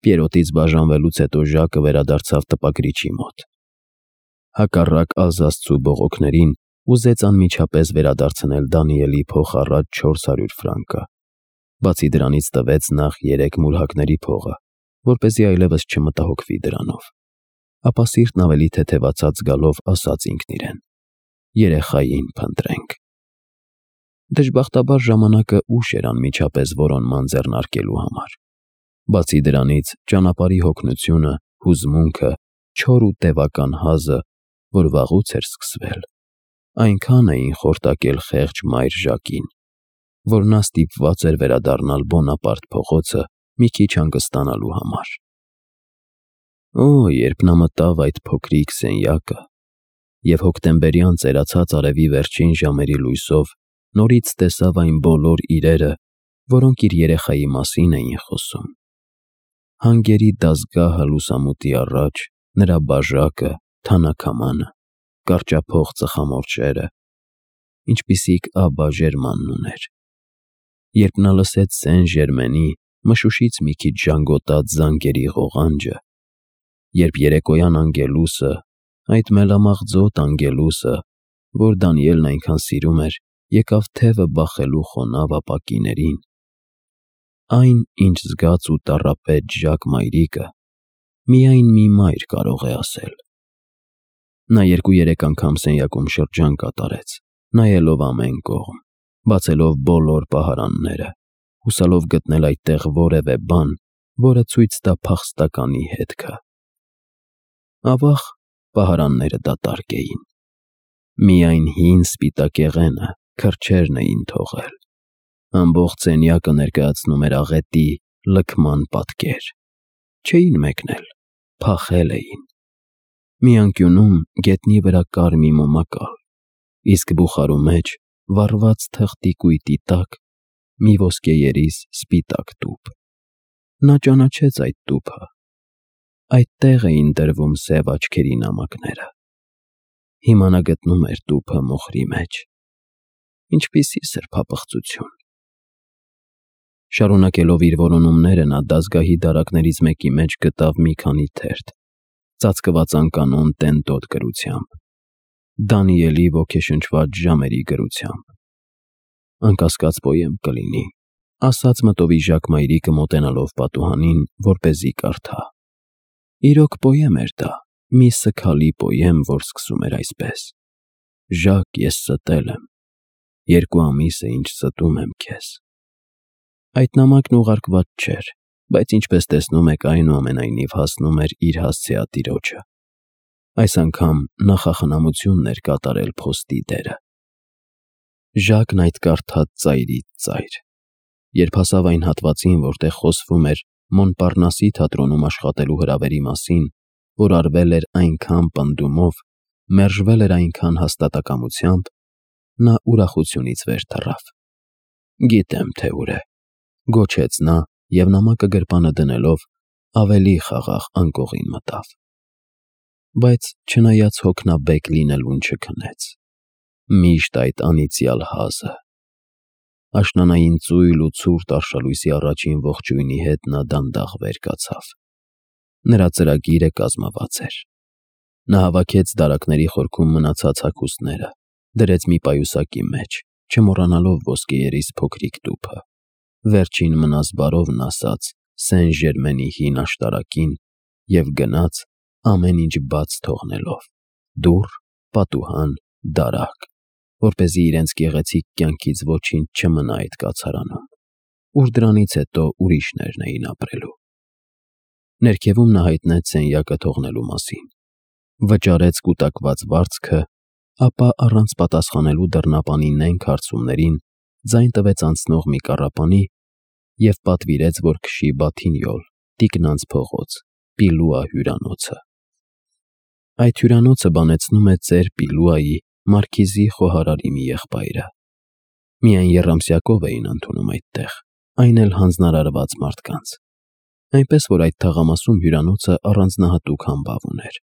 Պիերոտից բաժանվելուց հետո Ժակը վերադարձավ տպագրիչի մոտ։ Հակառակ Ալզասցու բողոքներին ուզեց անմիջապես վերադարձնել Դանիելի փոխառած 400 ֆրանկը։ Բացի դրանից տվեց նախ 3 մուրհակների փողը, որպեսզի այլևս չմտահոգվի դրանով։ Ապա սիրտն ավելի թեթևացած զգալով ասաց ինքն իրեն. երեխային փնտրենք։ Դժբախտաբար ժամանակը ուշ էր անմիջապես որոնման ձեռնարկելու համար։ Բացի դրանից ճանապարհի հոգնությունը, հուզմունքը, չոր ու տևական հազը, որ վաղուց էր սկսվել, այնքան էին խորտակել խեղճ մայր Ժակին, որ նա ստիպված էր վերադառնալ Բոնապարտ փողոցը մի քիչ հանգստանալու համար։ Երբ նա մտավ այդ փոքրիկ սենյակը և հոկտեմբերյան ծերացած արևի վերջին ժամերի լույսով նորից տեսավ այն բոլոր իրերը, որոնք իր երեխայի մասին էին խոսում։ Հանգերի դազգահը լուսամուտի առաջ, նրա բաժակը, թանաքամանը, կարճափող ծխամորճերը, ինչպիսիք Աբաժերմանն ուներ։ Երբ նա լսեց Սեն-Ժերմենի մշուշից մի քիչ ժանգոտած զանգերի ղողանջը, երբ երեկոյան անգելուսը, այդ մելամաղձոտ անգելուսը, որ Դանիելն այնքան սիրում էր, եկավ թևը բախելու խոնավ ապակիներին, այն, ինչ զգաց ու տառապեց Ժակ մայրիկը, միայն մի մայր կարող է ասել։ Նա 2-3 անգամ սենյակում շրջան կատարեց, նայելով ամեն կողմ, բացելով բոլոր պահարանները, հուսալով գտնել այդտեղ որևէ բան, որը ցույց տա փախստականի հետքը։ Ավաղ, պահարանները դատարկ էին։ Միայն հին սպիտակեղենը, քրջերն էին թողել։ Ամբողջ սենյակը ներկայացնում էր աղետի, լքման պատկեր։ Չէին մեկնել, փախել էին։ Մի անկյունում գետնի վրա կար մի մոմակալ, իսկ բուխարու մեջ, վառված թղթի կույտի տակ, մի ոսկեերիս սպիտակ տուփ։ Նա ճանաչեց այդ տուփը։ Այդտեղ էին դրվում սև աչքերի նամակները։ Հիմա նա գտնում էր տուփը մոխրի մեջ։ Ինչպիսի սրբապղծություն։ Շարունակելով իր որոնումները, նա դազգահի դարակներից մեկի մեջ գտավ մի քանի թերթ, ծածկված անկանոն տենտոտ գրությամբ, Դանիելի ոգեշնչված ժամերի գրությամբ։ Անկասկած պոեմ կլինի, ասաց մտովի Ժակ մայրիկը մոտենալով պատուհանին, որպեսզի կարդա։ Իրոք պոեմ էր դա, մի սգալի պոեմ, որ սկսում էր այսպես. Ժակ, ես ստել եմ, 2 ամիս է ինչ ստում եմ քեզ։ Այդ նամակն ուղարկված չէր, բայց ինչպես տեսնում եք, այնուամենայնիվ հասնում էր իր հասցեատիրոջը։ Այս անգամ նախախնամությունն էր կատարել փոստի դերը։ Ժակն այդ կարդաց ծայրից ծայր։ Երբ հասավ այն հատվածին, որտեղ խոսվում էր Մոնպարնասի թատրոնում աշխատելու հրավերի մասին, որ արվել էր այնքան պնդումով, մերժվել էր այնքան հաստատակամությամբ, նա ուրախությունից վեր թռավ։ Գիտեմ, թե ուր է, գոչեց նա և նամակը գրպանը դնելով ավելի խաղաղ անկողին մտավ։ Բայց չնայած հոգնաբեկ լինելուն չքնեց։ Միշտ այդ անիծյալ հազը։ Աշնանային ծույլ ու ցուրտ արշալույսի առաջին ողջույնի հետ նա դանդաղ վեր կացավ։ Նրա ծրագիրը կազմված էր։ Նա հավաքեց դարակների խորքում մնացած հագուստները, դրեց մի պայուսակի մեջ, չմոռանալով ոսկեերիս փոքրիկ տուփը, վերջին մնասբարովն ասաց Սեն-Ժերմենի հին աշտարակին և գնաց, ամեն ինչ բաց թողնելով՝ դուռ, պատուհան, դարակ, որպեսզի իրենց գեղեցիկ կյանքից ոչինչ չմնա այդ կացարանում, ուր դրանից հետո ուրիշներն էին ապրելու։ Ներքևում նա հայտնեց սենյակը թողնելու մասին, վճարեց կուտակված վարձքը, ապա առանց պատասխանելու դռնապանի նենգ հարցումներին ձայն տվեց անցնող մի կառապանի և պատվիրեց, որ քշի Բաթինյոլ, տիկնանց փողոց, Պիլուա հյուրանոցը։ Այդ հյուրանոցը բանեցնում է ծեր Պիլուայի մարքիզի խոհարարի մի եղբայրը։ Միայն եռամսյակով էին ընդունում այդտեղ, այն էլ հանձնարարված մարդկանց։ Այնպես որ այդ թաղամասում հյուրանոցը առանձնահատուկ համբավ ուներ։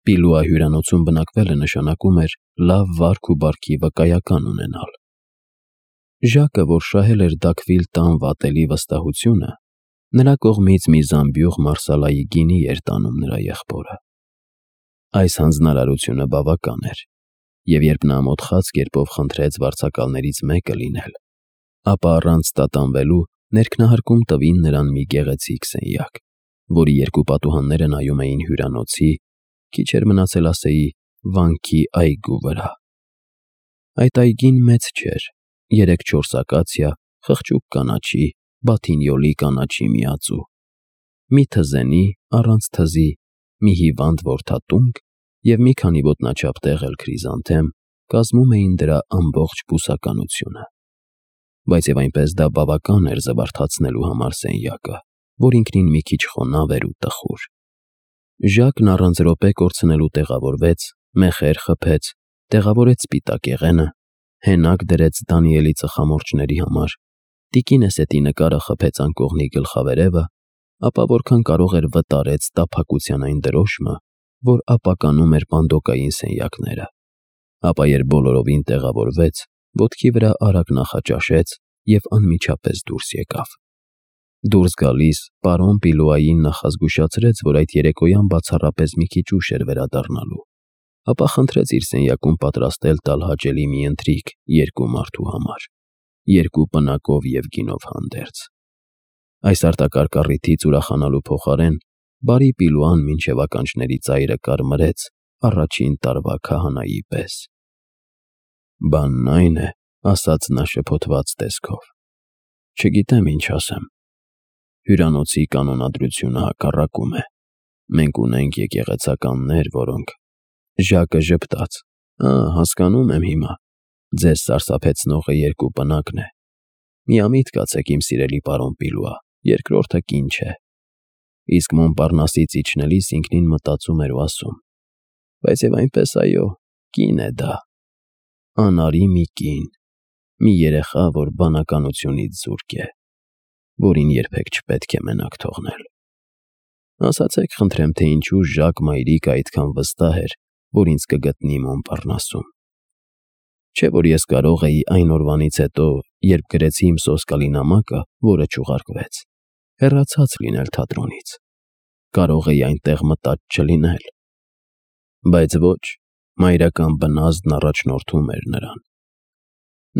Պիլուա հյուրանոցում բնակվելը նշանակում էր լավ վարք ու բարքի վկայական ունենալ։ Ժակը, որ շահել էր Դաքվիլ տան վատելի վստահությունը, Նրա կողմից մի զամբյուղ մարսալայի գինի էր տանում նրա եղբորը։ Այս հանձնարարությունը բավական էր, և երբ նա մոտխած կերպով խնդրեց վարձակալներից մեկը լինել, ապա առանց տատանվելու ներքնահարկում տվին նրան մի գեղեցիկ սենյակ, որի երկու պատուհանները նայում էին հյուրանոցի, քիչ էր մնացել ասեի, վանքի այգու վրա։ Այդ այգին մեծ չէր, 3-4 ակացիա, խղճուկ կանաչի, բաթինյոլի կանաչի միածու, մի թզենի, առանց թզի, մի հիվանդ որդատունկ և մի քանի ոտնաչափ տեղ էլ քրիզանթեմ կազմում էին դրա ամբողջ բուսականությունը։ Բայց և այնպես դա բավական էր զվարթացնելու համար սենյակը, որ ինքնին մի քիչ խոնավ էր ու տխուր։ Ժակն առանց րոպե կորցնելու տեղավորվեց, մեխեր խփեց, տեղավորեց սպիտակեղենը, հենակ դրեց Դանիելի ծխամորճների համար, տիկինեսետի նկարը խփեց անկողնի գլխավերևը, ապա որքան կարող էր վտարեց տափակության այն դրոշմը, որ ապականում էր պանդոկային սենյակները, ապա երբ բոլորովին տեղավորվեց, ոտքի վրա արագ նախաճաշեց և անմիջապես դուրս եկավ։ Դուրս գալիս պարոն Պիլուային նախազգուշացրեց, որ այդ երեկոյան բացառապես մի քիչ ուշ էր վերադառնալու, ապա խնդրեց իր սենյակում պատրաստել տալ հաճելի մի ընթրիք 2 մարդու համար, 2 պնակով և գինով հանդերձ։ Այս արտակարգ առիթից ուրախանալու փոխարեն բարի Պիլուան մինչև ականջների ծայրը կարմրեց առաջին տարվա քահանայի պես։ «Բանն այն է,» ասաց նա շփոթված տեսքով, «չգիտեմ ինչ ասեմ։ Հյուրանոցի կանոնադրությունը հակառակում է։ Մենք ունենք եկեղեցականներ, որոնք…» Ժակը ժպտաց։ Հասկանում եմ հիմա։ Ձեզ սարսափեցնողը 2 պնակն է։ Միամիտ կացեք, իմ սիրելի պարոն Պիլուա, երկրորդը կին չէ։ Իսկ Մոնպարնասից իջնելիս ինքնին մտածում էր ու ասում. բայց և այնպես, այո, կին է դա։ Անարի մի կին, մի երեխա, որ բանականությունից զուրկ է, որին երբեք չպետք է մենակ թողնել։ Ասացեք խնդրեմ, թե ինչու Ժակ մայրիկը այդքան վստահ էր, որ ինձ կգտնի Մոնպարնասում։ Չէ՞ որ ես կարող էի այն օրվանից հետո, երբ գրեցի իմ սոսկալի նամակը, որը չուղարկվեց, հեռացած լինել թատրոնից։ Կարող էի այնտեղ մտած չլինել։ Բայց ոչ, մայրական բնազդն առաջնորդում էր նրան։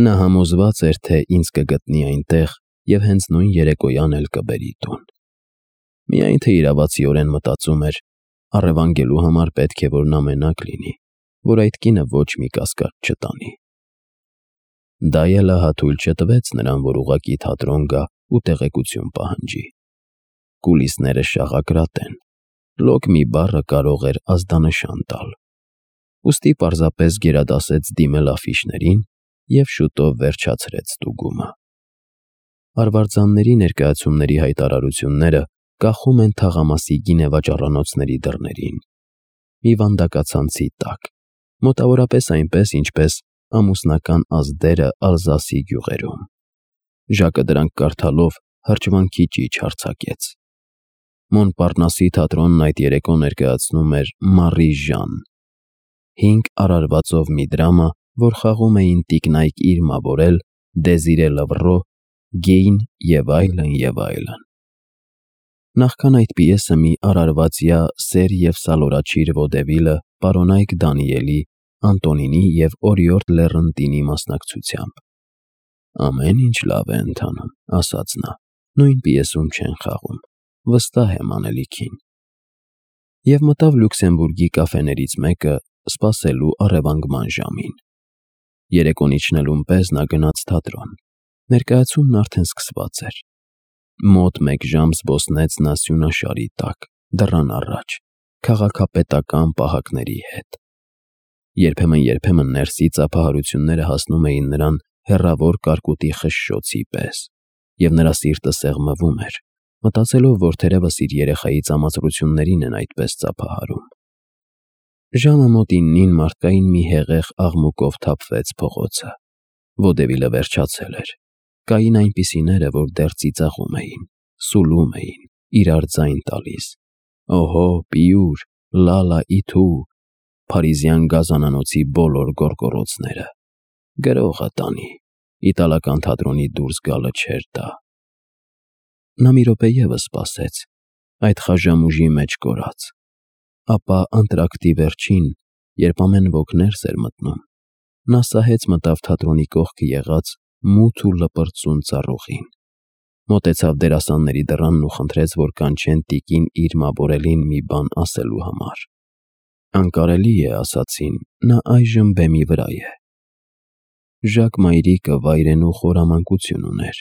Նա համոզված էր, թե ինձ կգտնի այնտեղ և հենց նույն երեկոյան էլ կբերի տուն։ Միայն թե իրավացիորեն մտածում էր, առևանգելու համար պետք է, որ նա մենակ լինի, որ այդ կինը ոչ մի կասկած չտանի։ Դա էլ ահա թույլ չտվեց նրան, որ ուղղակի թատրոն գա ու տեղեկություն պահանջի։ Կուլիսները շաղակրատ են, լոկ մի բառը կարող էր ազդանշան տալ։ Ուստի պարզապես գերադասեց դիմել աֆիշներին և շուտով վերջացրեց ստուգումը։ Արվարձանների ներկայացումների հայտարարությունները կախում են թաղամասի գինեվաճառանոցների դռներին, մի վանդակացանցի տակ, մոտավորապես այնպես, ինչպես ամուսնական ազդերը Ալզասի գյուղերում։ Ժակը դրանք կարդալով հրճվանքի ճիչ արձակեց։ Մոնպարնասի թատրոնն այդ երեկո ներկայացնում էր Մարի Ժան, 5 արարվածով մի դրամա, որ խաղում էին Տիկնայք Իրմա Բորել, Դեզիրե Լվռո, Գեյն և այլն և այլն։ Նախքան այդ պիեսը մի արարվածյա Սեր և Սալորաչիր Վոդևիլը պարոնայք Դանիելի, Անտոնինի և օրիորդ Լեռնտինի մասնակցությամբ։ Ամեն ինչ լավ է ընթանում, ասաց նա, նույն պիեսում չեն խաղում, վստահ եմ անելիքին։ Եվ մտավ Լյուքսեմբուրգի կաֆեներից մեկը, սպասելու առևանգման ժամին։ Երեկոն իջնելուն պես նա գնաց թատրոն։ Ներկայացումն արդեն սկսված էր։ Մոտ 1 ժամ զբոսնեց նա սյունաշարի տակ, դռան առաջ, քաղաքապետական պահակների հետ։ Երբեմն ներսի ծափահարությունները հասնում էին նրան հեռավոր կարկուտի խշշոցի պես, և նրա սիրտը սեղմվում էր, մտածելով, որ թերևս իր երեխայի ծամացրություններին են այդպես ծափահարում։ Ժամը մոտ 9-ին մարդկային մի հեղեղ աղմուկով թափվեց փողոցը։ Վոդևիլը վերջացել էր։ Կային այնպիսիները, որ դեռ ծիծաղում էին, սուլում էին, իրար ձայն տալիս. «Օհո, պիուր, լալա իթու», փարիզյան գազանանոցի բոլոր գոռգոռոցները։ Գրողը տանի, իտալական թատրոնի դուրս գալը չէր դա։ Նա մի րոպե ևս սպասեց, այդ խաժամուժի մեջ կորած, ապա անտրակտի վերջին, երբ ամեն ոք ներս էր մտնում, նա սահեց մտավ թատրոնի կողքը եղած մութ ու լպրծուն ծառուղին, մոտեցավ դերասանների դռանն ու խնդրեց, որ կանչեն տիկին Իրմա Բորելին մի բան ասելու համար։ Անկարելի է, ասացին, նա այժմ բեմի վրա է։ Ժակ մայրիկը վայրենու խորամանկություն ուներ։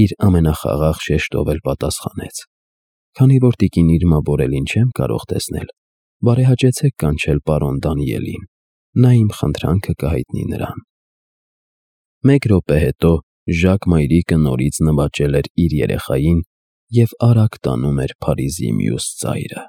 Իր ամենախաղաղ շեշտով էլ պատասխանեց. «Քանի որ տիկին Իրմա Բորելին չեմ կարող տեսնել, բարեհաճեցեք կանչել պարոն Դանիելին, նա իմ խնդրանքը կհայտնի նրան»։ Մեկ րոպե հետո Ժակ մայրիկը նորից նվաճել էր իր երեխային և արագ տանում էր Փարիզի մյուս ծայրը։